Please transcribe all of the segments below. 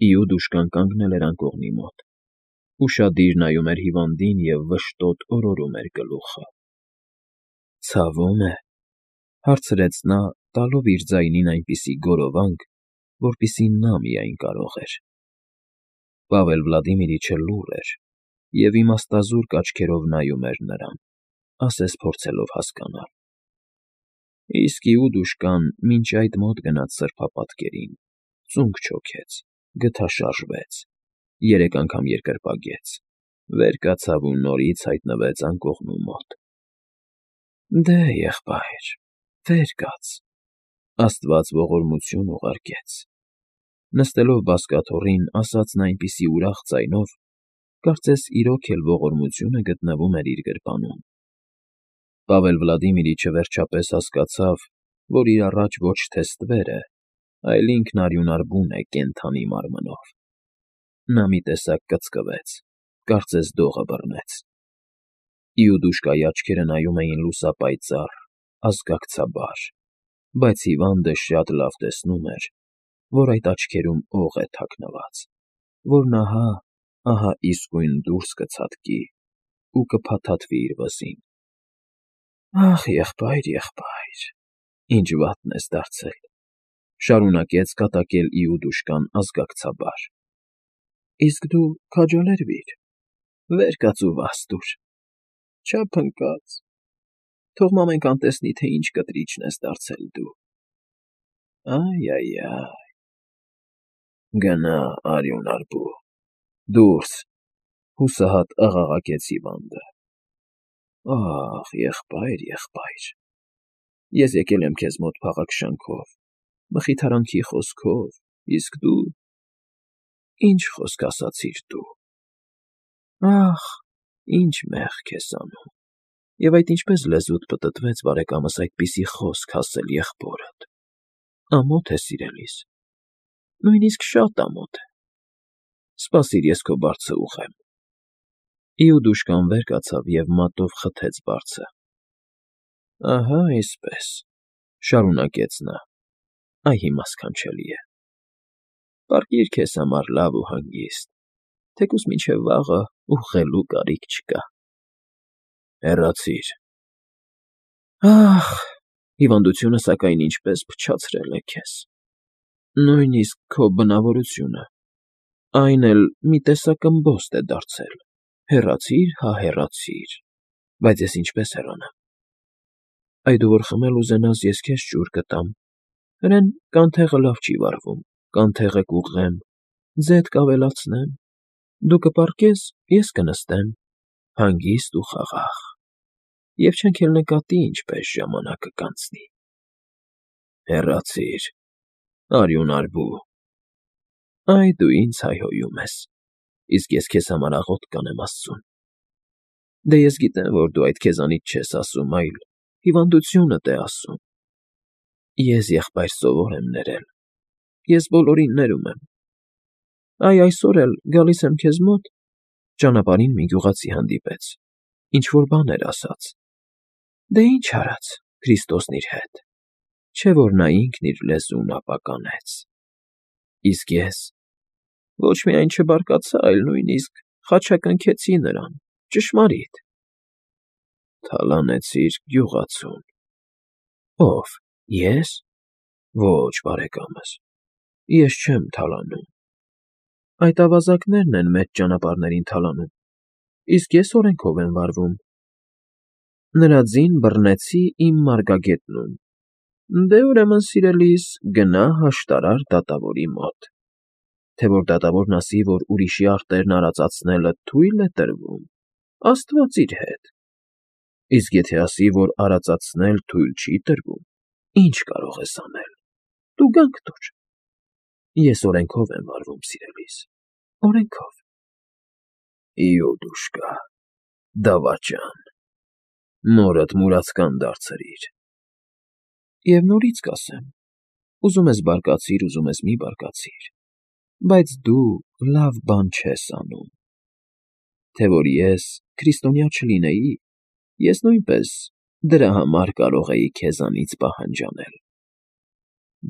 Իուդուշկան կանգնել էր անկողնի մոտ, ուշադիր նայում էր հիվանդին և վշտոտ օրորում էր գլուխը։ ֊ Ցավում է,֊ հարցրեց նա, տալով իր ձայնին այնպիսի գորովանք, որպեսզի նա միայն կարող էր։ Պավել Վլադիմիրիչը լուռ էր և իմաստազուրկ աչքերով նայում էր նրան, ասես փորձելով հասկանալ։ Իսկ Իուդուշկան մինչ այդ մոտ գնաց սրբապատկերին, ծունկ չոքեց, գթաշարժվեց, 3 անգամ երկրպագեց, վեր կացավ ու նորից հայտնվեց անկողնու մոտ։ ֊ Դե, եղբայր, վեր կաց,֊ աստված ողորմություն ուղարկեց։ Նստելով բազկաթոռին, ասաց նա այնպիսի ուրախ ձայնով, կարծես իրոք էլ ողորմությունը գտնվում էր իր գրպանում։ Պավել Վլադիմիրիչը վերջապես հասկացավ, որ իր առաջ ոչ թե ստվեր է, այլ ինքն արյունարբուն է կենդանի մարմնով։ Նա մի տեսակ կծկվեց, կարծես դողը բռնեց։ Իուդուշկայի աչքերը նայում էին լուսապայծառ, ազգակցաբար, բայց հիվանդը շատ լավ տեսնում էր, որ այդ աչքերում օղ է թաքնված, որն ահա իսկույն դուրս կցատկի ու կփաթաթվի իր վզին։ ֊ Ախ, եղբայր, եղբայր, ինչ վատն ես դարձել,֊ շարունակեց կատակել Իուդուշկան ազգակցաբար։ ֊ Իսկ դու քաջալերվիր, վեր կաց ու վազ տուր, չափ ընկած, թող մամենքան տեսնի, թե ինչ կտրիչն ես դարձել դու… Այ… Գնա, արյունարբու, դուրս…֊ հուսահատ աղաղակեց հիվանդը։ ֊ Ախ, եղբայր, եղբայր, ես եկել եմ քեզ մոտ փաղաքշանքով, մխիթարանքի խոսքով, իսկ դու… Ի՞նչ խոսք ասացիր դու… Ախ, ինչ մեղք ես անում… Եվ այդ ինչպես լեզուդ պտտվեց բարեկամս այդպիսի խոսք ասել եղբորդ… Ամոթ է, սիրելիս, նույնիսկ շատ ամոթ է… Սպասիր, ես քո բարձը ուղղեմ… Իուդուշկան վեր կացավ և մատով խթեց բարձը։ ֊ Ահա այսպես,֊ շարունակեց նա,֊ այ հիմա սքանչելի է… Պառկիր քեզ համար լավ ու հանգիստ, թեկուզ մինչև վաղը ուղղելու կարիք չկա… Հեռացիր… Ախ, հիվանդությունը, սակայն, ինչպես փչացրել է քեզ… Նույնիսկ քո բնավորությունը… Այն էլ մի տեսակ ըմբոստ է դարձել… Հեռացիր, հա հեռացիր… Բայց ես ինչպե՞ս հեռանամ… Այ դու որ խմել ուզենաս, ես քեզ ջուր կտամ… Հրեն կանթեղը լավ չի վառվում, կանթեղը կուղղեմ, ձեթ կավելացնեմ, դու կպառկես, ես կնստեմ, հանգիստ ու խաղաղ… Եվ չենք էլ նկատի ինչպես ժամանակը կանցնի… Հեռացիր, արյունարբու… Այ դու ինձ հայհոյում ես, իսկ ես քեզ համար աղոթք կանեմ աստծուն… Դե ես գիտեմ, որ դու այդ քեզանից չես ասում, այլ հիվանդությունդ է ասում… Ես, եղբայր, սովոր եմ ներել, ես բոլորին ներում եմ… Այ այսօր էլ, գալիս եմ քեզ մոտ, ճանապարհին մի գյուղացի հանդիպեց, ինչ֊որ բան էր ասաց… Դե ինչ արած, Քրիստոսն իր հետ… Չէ որ նա ինքն իր լեզուն ապականեց… Իսկ ես… Ոչ միայն չբարկացա, այլ նույնիսկ խաչակնքեցի նրան, ճշմարիտ… Թալանեցիր գյուղացուն… Ո՞վ, ես… Ոչ, բարեկամս, ես չեմ թալանում… Այդ ավազակներն են մեծ ճանապարհներին թալանում, իսկ ես օրենքով եմ վարվում… Նրա ձին բռնեցի իմ մարգագետնում… Դե, ուրեմն, սիրելիս, գնա հաշտարար դատավորի մոտ… Թե որ դատավորն ասի, որ ուրիշի արտերն արածացնելը թույլ է տրվում, աստված իր հետ… Իսկ եթե ասի, որ արածացնել թույլ չի տրվում, ի՞նչ կարող ես անել… Դու գանք տուր… Ես օրենքով եմ վարվում, սիրելիս, օրենքով… Իուդուշկա, դավաճան… Մորդ մուրացկան դարձրիր… Եվ նորից կասեմ, ուզում ես բարկացիր, ուզում ես մի բարկացիր, բայց դու լավ բան չես անում… Թե որ ես քրիստոնյա չլինեի, ես նույնպես դրա համար կարող էի քեզանից պահանջ անել…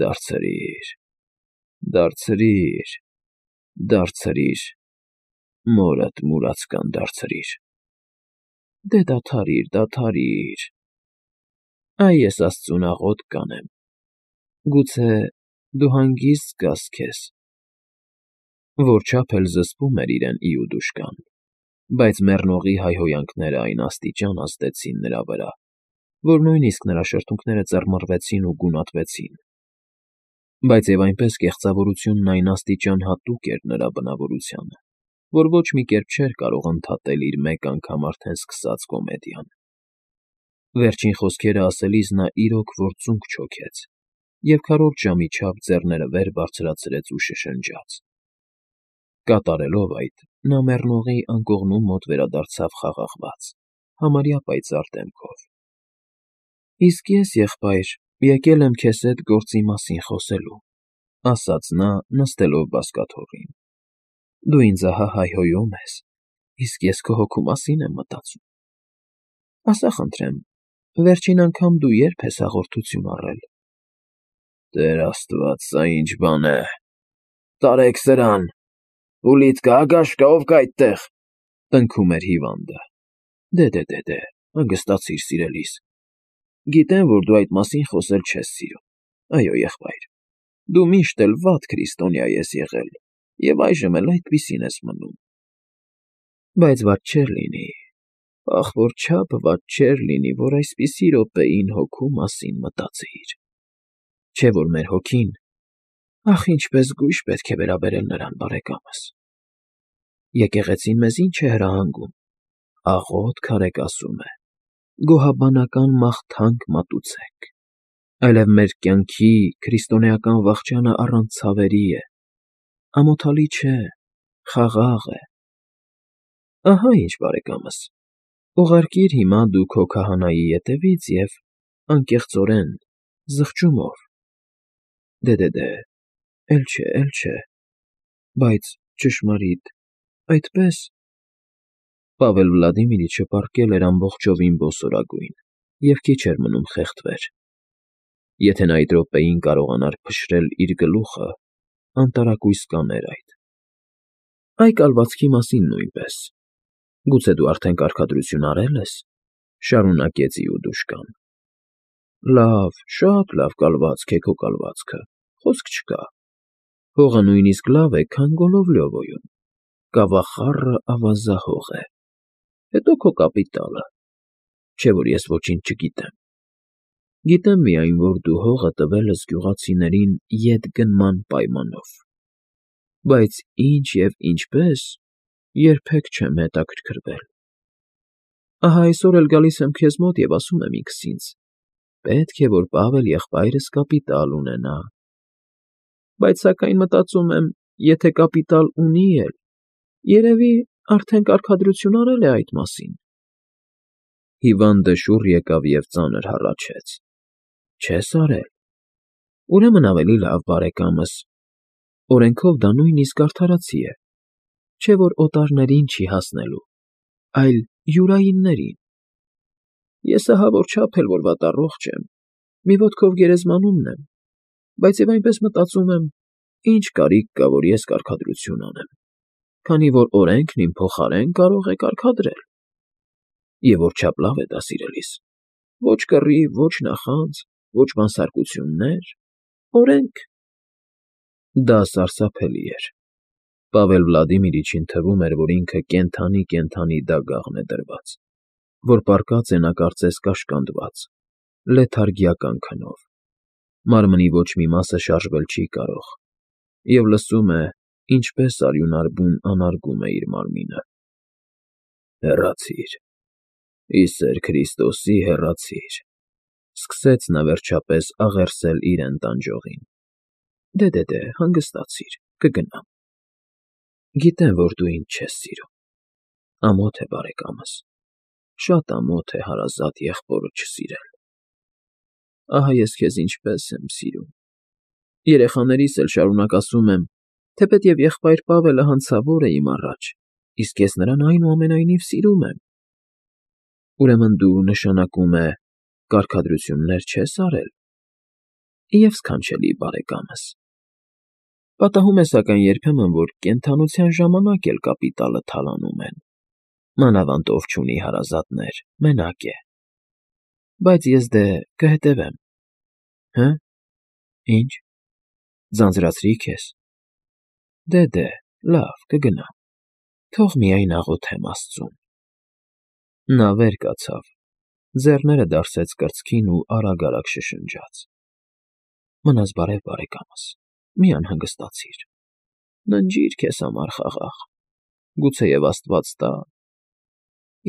Դարձրիր, դարձրիր… Դարձրիր, մորդ մուրացկան դարձրիր։ Դե դադարիր։ Այ ես աստծուն աղոթք կանեմ, գուցե դու հանգիստ զգաս քեզ։ Որչափ էլ զսպում էր իրեն Իուդուշկան, բայց մեռնողի հայհոյանքները այն աստիճան ազդեցին նրա վրա, որ նույնիսկ նրա շրթունքները ծռմռվեցին ու գունատվեցին։ Բայց և այնպես կեղծավորությունն այն աստիճան հատուկ էր նրա բնավորությանը, որ ոչ մի կերպ չէր կարող ընդհատել իր մեկ անգամ արդեն սկսած կոմեդիան։ Վերջին խոսքերը ասելիս նա իրոք որ ծունկ չոքեց և քառորդ ժամի չափ ձեռները վեր բարձրացրեց ու շշնջաց։ Կատարելով այդ, նա մեռնողի անկողնու մոտ վերադարձավ խաղաղված, համարյա պայծառ դեմքով։ Իսկ ես, եղբայր, եկել եմ քեզ հետ գործի մասին խոսելու, ասաց նա, նստելով բազկաթոռին։ Դու ինձ ահա հայհոյում ես, իսկ ես քո հոգու մասին եմ մտածում։ Ասա խնդրեմ, վերջին անգամ դու ե՞րբ ես հաղորդություն առել։ Տեր Աստված, սա ինչ բան է։ Տարեք սրան։ Պուլիտ կա, գաշկա, ով կա այդտեղ, տնքում էր հիվանդը։ Դե, հանգստացիր, սիրելիս։ Գիտեմ, որ դու այդ մասին խոսել չես սիրում։ Այո, եղբայր, դու միշտ էլ վատ քրիստոնյա ես եղել և այժմ էլ այդպիսին ես մնում։ Բայց վատ չէր լինի, ախորչափ վատ չէր լինի, որ այսպիսի րոպեին հոգու մասին մտածեիր։ Չէ՞ որ մեր հոգին, ախ, ինչպես գույշ պետք է վերաբերել նրան, բարեկամս։ Եկեղեցին մեզ ինչ է հրահանգում։ Աղոթք արեք, ասում է, գոհաբանական մաղթանք մատուցեք։ Այլև մեր կյանքի քրիստոնեական վախճանը առանց ցավերի է, ամոթալի չէ, խաղաղ է։ Ահա ինչ, բարեկամս, ուղարկիր հիմա դու քո քահանայի ետևից և անկեղծորեն, զղջումով։ Դե, էլ չէ, բայց ճշմարիտ, այդպե՞ս։ Պավել Վլադիմիրիչը պառկել էր ամբողջովին բոսորագույն և քիչ էր մնում խեղդվեր։ Եթե նա այդ րոպեին կարողանար փշրել իր գլուխը, անտարակույս կաներ այդ։ Այ կալվածքի մասին նույնպես։ Գուցե դու արդեն կարգադրություն արել ես, շարունակեց Իուդուշկան։ Լավ, շատ լավ կալվածք է քո կալվածքը, խոսք չկա։ Հողը նույնիսկ լավ է, քան Գոլովլյովոյում, կավախառը ավազահող է։ Հետո քո կապիտալը, չէ՞ որ ես ոչինչ չգիտեմ։ Գիտեմ միայն, որ դու հողը տվել ես գյուղացիներին ետգնման պայմանով։ Բայց ինչ և ինչպես, երբեք չեմ հետաքրքրվել։ Ահա այսօր էլ գալիս եմ քեզ մոտ և ասում եմ ինքս ինձ. պետք է, որ Պավել եղբայրս կապիտալ ունենա։ Բայց սակայն մտածում եմ, եթե կապիտալ ունի էլ, երևի արդեն կարգադրություն արել է այդ մասին։ Հիվանդը շուռ եկավ և ծանր հառաչեց. Չես արել։ Ուրեմն ավելի լավ, բարեկամս, օրենքով դա նույնիսկ արդարացի է, չէ՞ որ օտարներին չի հասնելու, այլ յուրայիններին։ Ես ահա որչափ էլ որ վատառողջ եմ, մի ոտքով գերեզմանումն եմ, բայց և այնպես մտածում եմ, ինչ կարիք կա, որ ես կարգադրություն անեմ, քանի որ օրենքն իմ փոխարեն կարող է կարգադրել։ Եվ որչափ լավ է դա, սիրելիս։ Ոչ կռիվ, ոչ նախանձ, ոչ բանսարկություններ, օրենք։ Դա սարսափելի էր։ Պավել Վլադիմիրիչին թվում էր, որ ինքը կենդանի դագաղն է դրված, որ պառկած է նա կարծես կաշկանդված, լեթարգիական քնով։ Մարմնի ոչ մի մասը շարժվել չի կարող, և լսում է, ինչպես արյունարբուն անարգում է իր մարմինը։ Հեռացիր, ի սեր Քրիստոսի հեռացիր, սկսեց նա վերջապես աղերսել իրեն տանջողին։ Դե, հանգստացիր, կգնամ։ Գիտեմ, որ դու ինձ չես սիրում։ Ամոթ է, բարեկամս, շատ ամոթ է հարազատ եղբորը չսիրել։ Ահա ես քեզ ինչպես եմ սիրում։ Երեխաներիս էլ շարունակ ասում եմ, թեպետև եղբայր Պավելը հանցավոր է իմ առաջ, իսկ ես նրան այնուամենայնիվ սիրում եմ։ Ուրեմն դու, նշանակում է, կարգադրություններ չես արել։ Եվ սքանչելի բարեկամս։ Պատահում է սակայն երբեմն, որ կենդանության ժամանակ էլ կապիտալը թալանում են, մանավանդ ով չունի հարազատներ, մենակ է, բայց ես դե կհետևեմ։ Հը՞, ինչ, ձանձրացրի՞ քեզ։ Դե, լավ, կգնամ, թող միայն աղոթեմ աստծուն։ Նա վեր կացավ, ձեռները դարսեց կրծքին ու արագ֊արագ շշնջաց. «Մնաս բարև, բարեկամս, մի անհանգստացիր, ննջիր քեզ համար խաղաղ, գուցեև աստված տա,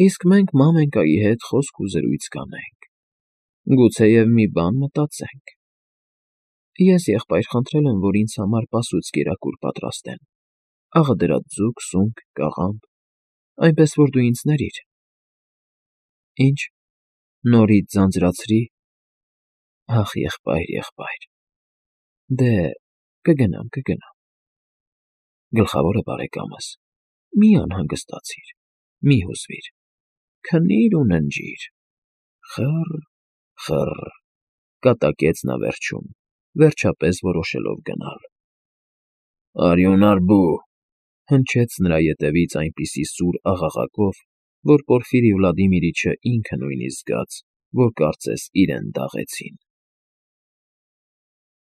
իսկ մենք մամենկայի հետ խոսք ու զրույց կանենք, գուցեև մի բան մտածենք։ Ես եղբայր խնդրել եմ, որ ինձ համար պասուց կերակուր պատրաստեն, աղդրած ձուկ, սունկ, կաղամբ, այնպես որ դու ինձ ներիր»։ Ինչ, նորից ձանձրացրի՞։ Ախ, եղբայր, դե, կգնամ։ Գլխավորը, բարեկամս, մի անհանգստացիր, մի հուզվիր, քնիր ու ննջիր։ Խը՜ռ, կատակեց նա վերջում, վերջապես որոշելով գնալ։ «Արյունարբու», հնչեց նրա ետևից այնպիսի սուր աղաղակով, որ Պորֆիրի Վլադիմիրիչը ինքը նույնիսկ զգաց, որ կարծես իրեն դաղեցին։